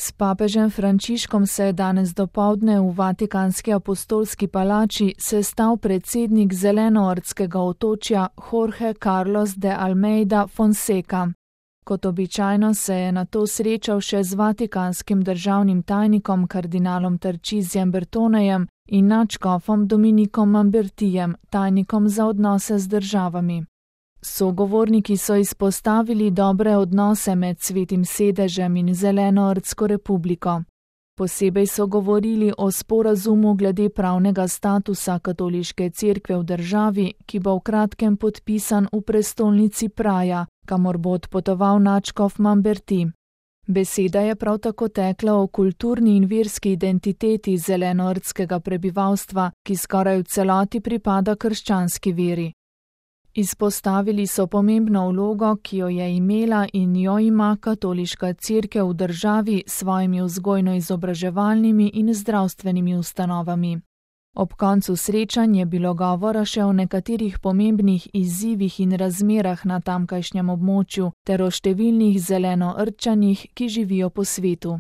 S papežem Frančiškom se je danes dopoldne v Vatikanski apostolski palači sestal predsednik Zelenoortskega otočja Jorge Carlos de Almeida Fonseca. Kot običajno se je nato srečal še z vatikanskim državnim tajnikom kardinalom Tarcisijem Bertonejem in nadškofom Dominikom Mambertijem, tajnikom za odnose z državami. Sogovorniki so izpostavili dobre odnose med Svetim sedežem in Zelenoortsko republiko. Posebej so govorili o sporazumu glede pravnega statusa katoliške cerkve v državi, ki bo v kratkem podpisan v prestolnici Praja, kamor bo odpotoval nadškof Mamberti. Beseda je prav tako tekla o kulturni in verski identiteti zelenoortskega prebivalstva, ki skoraj v celoti pripada krščanski veri. Izpostavili so pomembno vlogo, ki jo je imela in jo ima katoliška cerkev v državi s svojimi vzgojno-izobraževalnimi in zdravstvenimi ustanovami. Ob koncu srečanj je bilo govora še o nekaterih pomembnih izzivih in razmerah na tamkajšnjem območju ter o številnih zelenoortčanih, ki živijo po svetu.